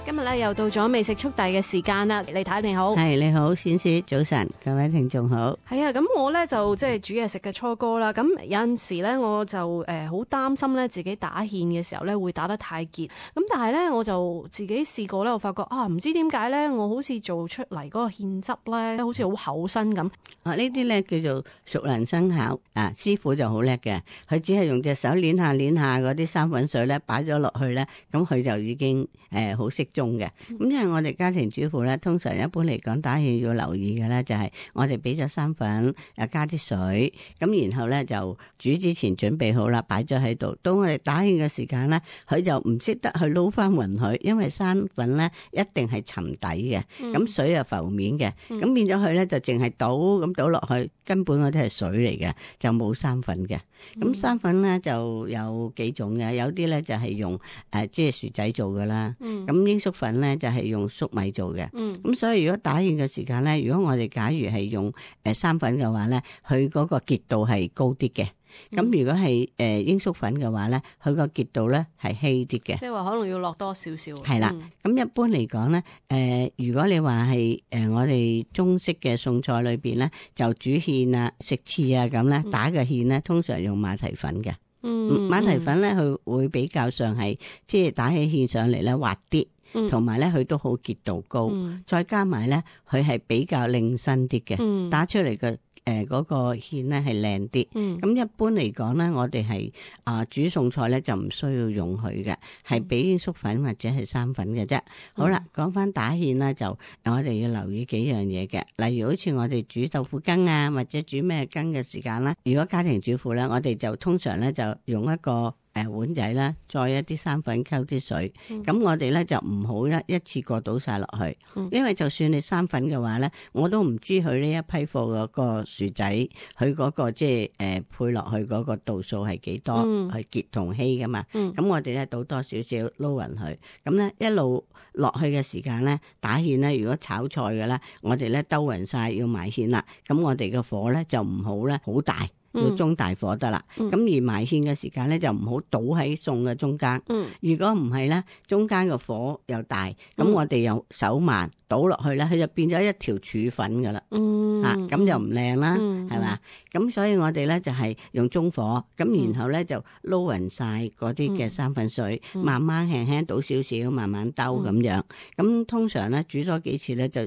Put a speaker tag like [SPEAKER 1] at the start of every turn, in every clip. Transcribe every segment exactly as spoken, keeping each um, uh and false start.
[SPEAKER 1] 今日咧又到咗美食速遞嘅時間啦，李太你好。
[SPEAKER 2] 係你好，冼師早晨，各位聽眾好。
[SPEAKER 1] 係啊，咁我咧就即係煮嘢食嘅初哥啦。咁有陣時咧，我就誒好擔心咧自己打芡嘅時候咧會打得太結。咁但係咧，我就自己試過咧，我發覺啊，唔知點解咧，我好似做出嚟嗰個芡汁咧，好似好厚身咁。
[SPEAKER 2] 啊，呢啲咧叫做熟能生巧啊，師傅就好叻嘅，佢只係用隻手捻下捻下嗰啲生粉水咧，擺咗落去咧，咁佢就已經誒好適中嘅。咁因為我哋家庭主婦咧，通常一般嚟講打芡要留意嘅咧，就係我哋俾咗生粉，又加啲水，咁然後咧就煮之前準備好啦，擺咗喺度。到我哋打芡嘅時間咧，佢就唔識得去撈翻勻佢，因為生粉咧一定係沉底嘅，咁、嗯、水又浮面嘅，咁、嗯、變咗佢咧就淨係倒咁倒落去，根本嗰啲係水嚟嘅，就冇生粉嘅。咁、嗯、生粉咧就有幾種嘅，有啲咧就係用誒、呃、即係薯仔做噶啦，咁鷹粟粉咧就係用粟米做嘅。咁、嗯、所以如果打芡嘅時間咧，如果我哋假如係用誒生粉嘅話咧，佢嗰個結度係高啲嘅。咁、嗯、如果係誒鷹粟粉嘅話咧，佢個結度咧係稀啲嘅。
[SPEAKER 1] 即係話可能要落多少少。
[SPEAKER 2] 係啦，咁、嗯、一般嚟講咧，誒、呃、如果你話係誒我哋中式嘅餸菜裏邊咧，就煮芡啊、食翅啊咁咧，打嘅芡咧，通常用馬蹄粉嘅。嗯，馬蹄粉咧，佢會比較上係即係打起芡上嚟咧滑啲，同埋咧佢都好結度高，嗯、再加埋咧佢係比較靚身啲嘅，嗯、打出嚟嘅。誒，嗰個芡咧係靚啲，咁、嗯、一般嚟講咧，我哋係啊煮餸菜咧就唔需要用佢嘅，係俾鷹粟粉或者係生粉嘅啫。嗯、好啦，講翻打芡啦，就我哋要留意幾樣嘢嘅，例如好似我哋煮豆腐羹啊，或者煮咩羹嘅時間啦，如果家庭主婦咧，我哋就通常咧就用一個。誒，碗仔啦，再一啲生粉溝啲水，咁、嗯、我哋咧就唔好一一次過倒晒落去，嗯、因為就算你生粉嘅話咧，我都唔知佢呢一批貨嗰個薯仔，佢嗰個即係誒配落去嗰個度數係幾多，係、嗯、結同稀噶嘛，咁、嗯、我哋咧倒多少少撈勻佢，咁咧一路落去嘅時間咧打芡咧，如果炒菜嘅咧，我哋咧兜勻晒要埋芡啦，咁我哋嘅火咧就唔好咧好大。要中大火得啦，咁、嗯、而埋芡嘅時間咧就唔好倒喺餸嘅中間。嗯、如果唔係咧，中間個火又大，咁、嗯、我哋又手慢倒落去咧，佢就變咗一條柱粉噶啦。嗯，吓咁、啊、就唔靚啦，係嘛、嗯？咁所以我哋咧就係、是、用中火，咁、嗯、然後咧就撈勻晒嗰啲嘅生粉水，嗯、慢慢輕輕倒少少，慢慢兜咁樣。咁、嗯、通常咧煮多幾次咧就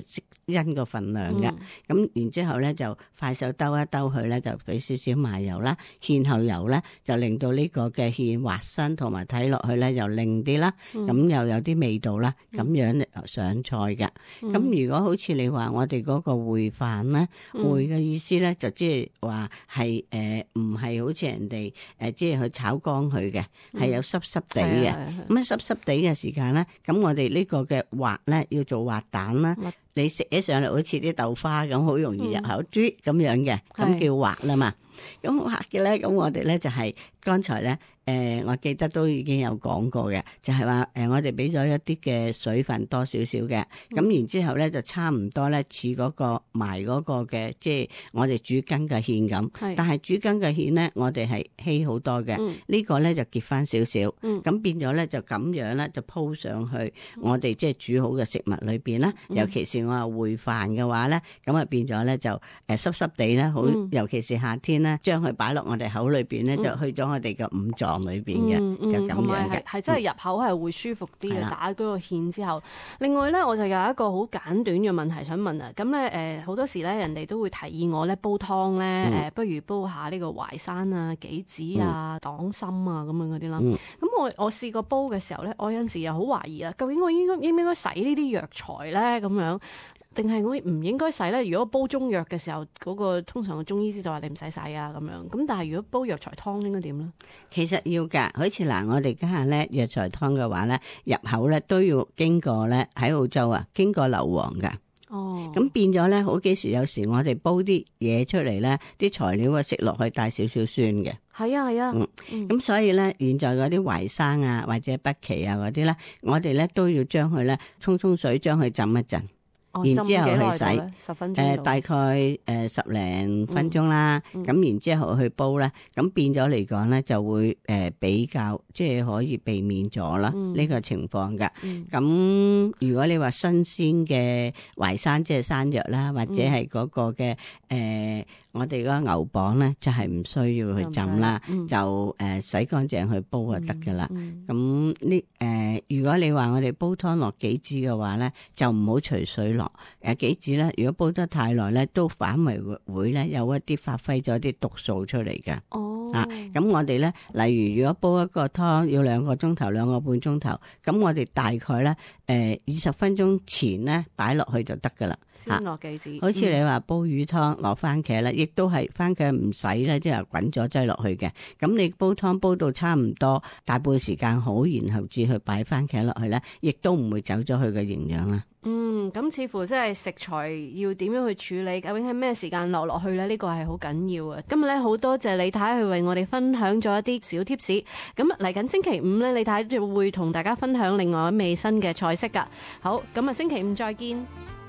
[SPEAKER 2] 因個份量嘅。咁、嗯、然之後咧就快手兜一兜佢咧，就俾少少麻油啦，芡後油咧就令到呢個嘅芡滑身，同埋睇落去咧又靚啲啦，咁、嗯、又有啲味道啦，咁、嗯、樣上菜嘅。咁、嗯、如果好似你話我哋嗰個燴飯咧，燴嘅、嗯、意思咧就即係話係誒唔係好似人哋誒即係去炒乾佢嘅，係、嗯、有濕濕地嘅。咁啊濕濕地嘅時間咧，咁我哋呢個嘅滑咧要做滑蛋啦。嗯你食起上嚟好似啲豆花咁，好容易入口啜咁樣嘅，咁叫滑啦嘛。咁滑嘅咧，咁我哋咧就係剛才咧，誒，我記得都已經有講過嘅，就係話誒，我哋俾咗一啲嘅水分多少少嘅，咁然之後咧就差唔多咧似嗰個埋嗰個嘅，即係我哋煮羹嘅芡咁。但係煮羹嘅芡咧，我哋係稀好多嘅，呢個咧就結翻少少，咁變咗咧就咁樣咧就鋪上去我哋即係煮好嘅食物裏邊啦，尤其是。我話燴飯嘅話咧，咁啊變咗咧就誒濕濕地咧，好、嗯、尤其是夏天咧，將佢擺落我哋口裏邊咧，嗯、就去咗我哋嘅五臟裏邊嘅，嗯嗯、就咁樣嘅，係真係入口係會舒服啲嘅。嗯、打嗰個芡之後，另外咧我就有一個好簡短嘅問題想問啊。咁咧誒好多時咧人哋都會提議我咧煲湯咧，誒、嗯、不如煲下呢個淮山啊、杞子啊、黨參啊咁樣嗰啲啦。咁、嗯、我我試過煲嘅時候咧，我有陣時又好懷疑啊，究竟我應該應唔應該洗呢啲藥材咧咁樣？定係我唔應該洗咧？如果煲中藥嘅時候，嗰、那個通常個中醫師就話你唔使洗啊咁樣。咁但係如果煲藥材湯應該點咧？其實要㗎，好似嗱，我哋家下咧藥材湯嘅話咧，入口咧都要經過咧喺澳洲啊，經過硫磺㗎。哦，咁變咗咧，好幾時有時我哋煲啲嘢出嚟咧，啲材料啊食落去帶少少酸嘅。係啊係啊，嗯，咁、嗯、所以咧，現在嗰啲淮山啊或者北芪啊嗰啲咧，我哋咧都要將佢咧沖沖水，將佢浸一陣。
[SPEAKER 1] 哦，
[SPEAKER 2] 然之後
[SPEAKER 1] 浸幾耐
[SPEAKER 2] 去洗
[SPEAKER 1] 到呢十分鐘
[SPEAKER 2] 誒、
[SPEAKER 1] 到
[SPEAKER 2] 大概誒十零分鐘啦，咁、
[SPEAKER 1] 嗯
[SPEAKER 2] 然之後去煲咧，咁變咗嚟講咧就會誒比較即係可以避免咗啦
[SPEAKER 1] 嗯
[SPEAKER 2] 呢個情況㗎。
[SPEAKER 1] 嗯
[SPEAKER 2] 咁、如果你話新鮮嘅淮山即係山藥啦，或者係嗰個嘅誒、呃我哋嗰個牛蒡咧，就係、唔需要去浸啦，
[SPEAKER 1] 就唔使嗯
[SPEAKER 2] 就誒、呃洗乾淨去煲就得㗎啦。
[SPEAKER 1] 嗯
[SPEAKER 2] 咁呢誒，如果你話我哋煲湯落杞子嘅話咧，就唔好隨水落。誒杞子咧，如果煲得太耐咧，都反為會會咧有一啲發揮咗啲毒素出嚟嘅。
[SPEAKER 1] 哦
[SPEAKER 2] 啊，咁我哋咧，例如如果煲一個湯要兩個鐘頭、兩個半鐘頭，咁我哋大概咧誒二十分鐘前咧擺落去就得㗎啦。
[SPEAKER 1] 先落杞子，
[SPEAKER 2] 好似你話煲魚湯落番茄咧，亦都係番茄唔使咧，即係滾咗擠落去嘅。咁你煲湯煲到差唔多大半時間好，然後至去擺番茄落去咧，亦都唔會走咗佢嘅營養啦。
[SPEAKER 1] 嗯，咁似乎即係食材要點樣去處理，究竟係咩時間落落去咧？呢個係好緊要啊！今日咧好多謝李太去為我哋分享咗一啲小貼士。咁嚟緊星期五咧，李太就會同大家分享另外一味新嘅菜式噶。好，咁啊星期五再見。